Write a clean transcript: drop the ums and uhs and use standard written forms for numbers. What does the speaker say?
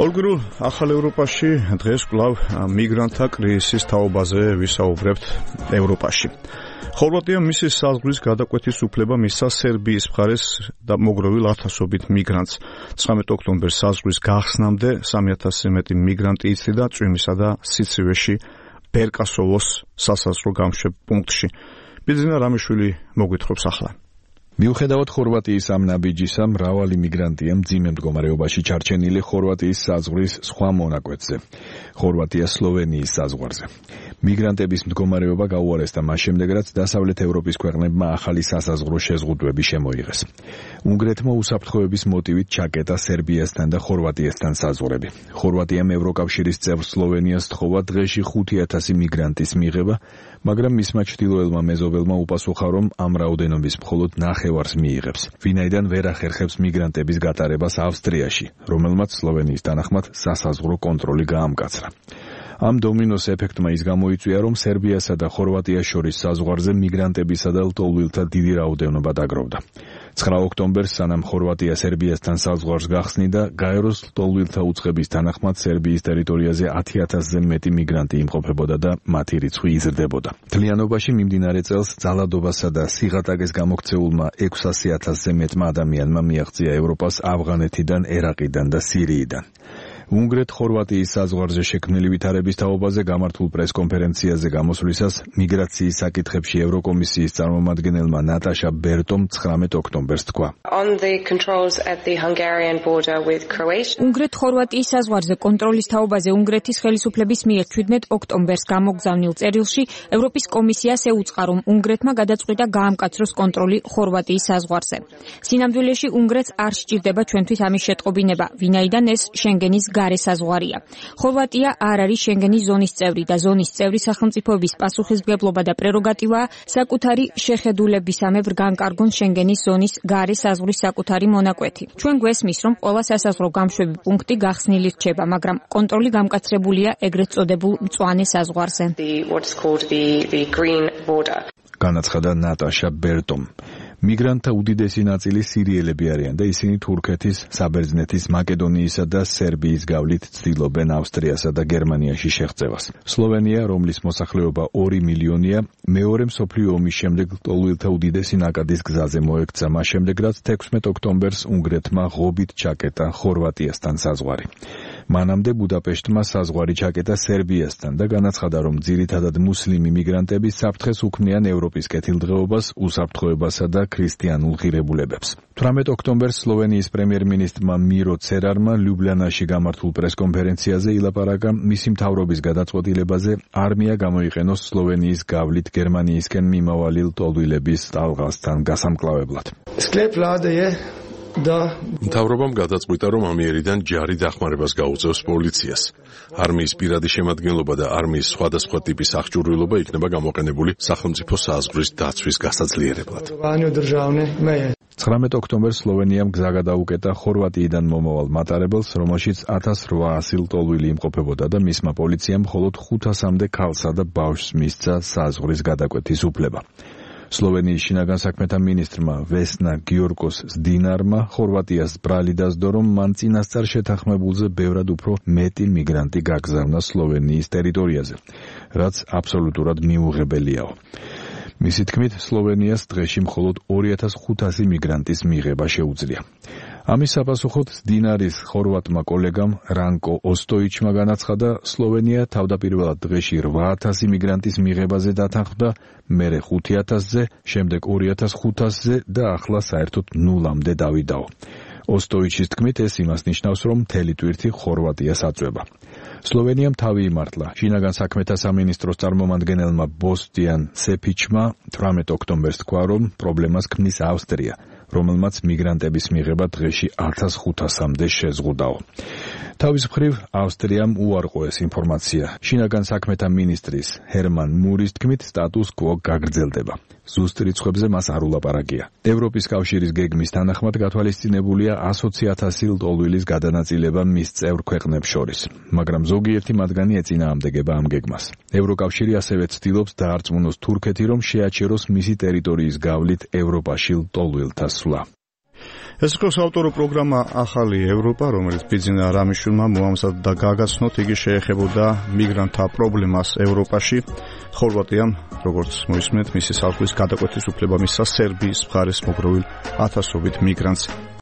ორგრულ ახალ ევროპაში დღეს კვლავ მიგრანტთა კრიზისის თაობაზე ვისაუბრებთ ევროპაში. ხორვატიამ მისი საზღვრის გადაკვეთის უფლება მისცა სერბიის მხარეს და მოგროვილ ათასობით მიგრანტს. 19 ოქტომბერს საზღვრის გახსნამდე 3000-ზე მეტი მიგრანტი იცლიდა წვიმისა და სიცივეში ბერკასოვოს სასაზღვრო გამშვებ პუნქტში. ბიძინა რამიშვილი მოგვითხრობს ახლა. მიუხედავად ხორვატიის ამ ნაბიჯისა, მრავალი მიგრანტია მძიმე მდგომარეობაში ჩარჩენილი ხორვატიის საზღვრის სხვა მონაკვეთზე, ხორვატია-სლოვენიის საზღვარზე. მიგრანტების მდგომარეობა გაუარესდა მას შემდეგ, რაც დასავლეთ ევროპის ქვეყნებმა ახალი სასაზღვრო შეზღუდვები შემოიღეს. უნგრეთმა უსაფრთხოების მოტივით ჩაკეტა სერბიასთან და ხორვატიასთან საზღვრები. ხორვატიამ ევროკავშირის წევრ სლოვენიას თხოვა დღეში 5000 მიგრანტის მიღება, მაგრამ მისმა ჩრდილოელმა მეზობელმა უპასუხა, რომ ამ რაოდენობის მხოლოდ ნახევარს მიიღებს, ვინაიდან ვერ ახერხებს მიგრანტების გატარებას ავსტრიაში, რომელმაც სლოვენიის თანახმად სასაზღვრო კონტროლი გაამკაცრა. ამ დომინოს ეფექტმა ის გამოიწვია, რომ სერბიასა და ხორვატიას შორის საზღვარზე მიგრანტებისა და ლტოლვილთა დიდი რაოდენობა დაგროვდა. 9 ოქტომბერს, სანამ ხორვატია სერბიასთან საზღვარს გახსნიდა, გაეროს ლტოლვილთა უწყების თანახმად სერბიის ტერიტორიაზე 10000-ზე მეტი მიგრანტი იმყოფებოდა და მათი რიცხვი იზრდებოდა. მთლიანობაში მიმდინარე წელს ძალადობასა და სიღატაკეს გამოქცეულმა 600000-ზე მეტმა ადამიანმა მიაღწია ევროპას ავღანეთიდან, ერაყიდან და სირიიდან. უნგრეთ-ხორვატიის საზღვარზე შექმნილი ვითარების თაობაზე გამართულ პრესკონფერენციაზე გამოსვლისას მიგრაციის საკითხებში ევროკომისიის წარმომადგენელმა ნატაშა ბერტომ 19 ოქტომბერს თქვა. უნგრეთ-ხორვატიის საზღვარზე კონტროლის თაობაზე უნგრეთის ხელისუფლების მიერ 17 ოქტომბერს გამოგზავნილ წერილში ევროპის კომისიას ეუწყა, რომ უნგრეთმა გადაწყვიტა გაამკაცროს კონტროლი ხორვატიის საზღვარზე. სინამდვილეში უნგრეთს არ სჭირდება ჩვენთვის ამის შეტყობინება, ვინაიდან ეს შენგენის გარე საზღვარია. ხორვატია არ არის შენგენის ზონის წევრი და ზონის წევრი სახელმწიფოების პასუხისმგებლობა და პრეროგატივაა საკუთარი შეხედულებისამებრ განკარგონ შენგენის ზონის გარე საზღვრის საკუთარი მონაკვეთი. ჩვენ გვესმის, რომ ყველა სასაზღვრო გამშვები პუნქტი გახსნილი რჩება, მაგრამ კონტროლი გამკაცრებულია ეგრეთ წოდებულ მწვანე საზღვარზე. განაცხადა ნატაშა ბერტომ. მიგრანტთა უდიდესი ნაწილი სირიელები არიან და ისინი თურქეთის, საბერძნეთის, მაკედონიისა და სერბიის გავლით ცდილობენ ავსტრიასა და გერმანიაში შეღწევას. სლოვენია, რომლის მოსახლეობა 2 მილიონია, მეორე მსოფლიო ომის შემდეგ ლტოლვილთა უდიდესი ნაკადის გზაზე მოექცა, მას შემდეგ რაც 16 ოქტომბერს უნგრეთმა ღობით ჩაკეტა ხორვატიასთან საზღვარი. მანამდე ბუდაპეშტმა საზღვარი ჩაკეტა სერბიასთან და განაცხადა, რომ ძირითადად მუსლიმი მიგრანტები საფრთხეს უქმნიან ევროპის კეთილდღეობას, უსაფრთხოებასა და ქრისტიანულ ღირებულებებს. 18 ოქტომბერს სლოვენიის პრემიერ-მინისტრმა მირო ცერარმა ლიუბლიანაში გამართულ პრესკონფერენციაზე ილაპარაკა მისი მთავრობის გადაწყვეტილებაზე არმია გამოიყენოს სლოვენიის გავლით გერმანიისკენ მიმავალი ლტოლვილების ტალღასთან გასამკლავებლად. მთავრობამ გადაწყვიტა, რომ ამიერიდან ჯარი დახმარებას გაუწევს პოლიციას. არმიის პირადი შემადგენლობა და არმიის სხვადასხვა ტიპის აღჭურვილობა იქნება გამოყენებული სახელმწიფო საზღვრის დაცვის გასაძლიერებლად. 19 ოქტომბერს სლოვენიამ გზა გადაუკეტა ხორვატიიდან მომავალ მატარებელს, რომელშიც 1800 ლტოლვილი იმყოფებოდა და მისმა პოლიციამ მხოლოდ 500-მდე ქალსა და ბავშვს მისცა საზღვრის გადაკვეთის უფლება. სლოვენიის შინაგან საქმეთა მინისტრმა ვესნა გიორგოს ზდინარმა ხორვატიას ბრალი დასდო, რომ მან წინასწარ შეთანხმებულზე ბევრად უფრო მეტი მიგრანტი გაგზავნა სლოვენიის ტერიტორიაზე, რაც აბსოლუტურად მიუღებელიაო. მისი თქმით, სლოვენიას დღეში მხოლოდ 2500 მიგრანტის მიღება შეუძლია. ამის საპასუხოდ ზდინარის ხორვატმა კოლეგამ რანკო ოსტოიჩმა განაცხადა, სლოვენია თავდაპირველად დღეში 8000 მიგრანტის მიღებაზე დათანხმდა, მერე 5000-ზე, შემდეგ 2500-ზე და ახლა საერთოდ 0-მდე დავიდაო. ოსტოიჩის თქმით, ეს იმას ნიშნავს, რომ მთელი ტვირთი ხორვატიას აწვება. სლოვენიამ თავი იმართლა. შინაგან საქმეთა სამინისტროს წარმომადგენელმა ბოსტიან სეფიჩმა 18 ოქტომბერს თქვა, რომ პრობლემას ქმნის ავსტრია, რომელმაც მიგრანტების მიღება დღეში 1500-მდე შეზღუდაო. თავის მხრივ ავსტრიამ უარყო ეს ინფორმაცია. შინაგან საქმეთა მინისტრის ჰერმან მურის თქმით, სტატუს კვო გაგრძელდება. ზუსტ რიცხვებზე მას არ ულაპარაკია. ევროპის კავშირის გეგმის თანახმად გათვალისწინებულია 120,000 ლტოლვილის გადანაწილება მის წევრ ქვეყნებს შორის, მაგრამ ზოგიერთი მათგანი ეწინააღმდეგება ამ გეგმას. ევროკავშირი ასევე ცდილობს დაარწმუნოს თურქეთი, რომ შეაჩეროს მისი ტერიტორიის გავლით ევროპაში ლტოლვილთა სვლა. ეს იყო საავტორო პროგრამა ახალი ევროპა, რომელიც ბიძინა რამიშვილმა მოამზადა და გაგაცნოთ. იგი შეეხებოდა მიგრანტთა პრობლემას ევროპაში. ხორვატიამ, როგორც მოისმენთ, მისი საზღვრის გადაკვეთის უფლება მისცა სერბიის მხარეს მოგროვილ ათასობით მიგრანტს.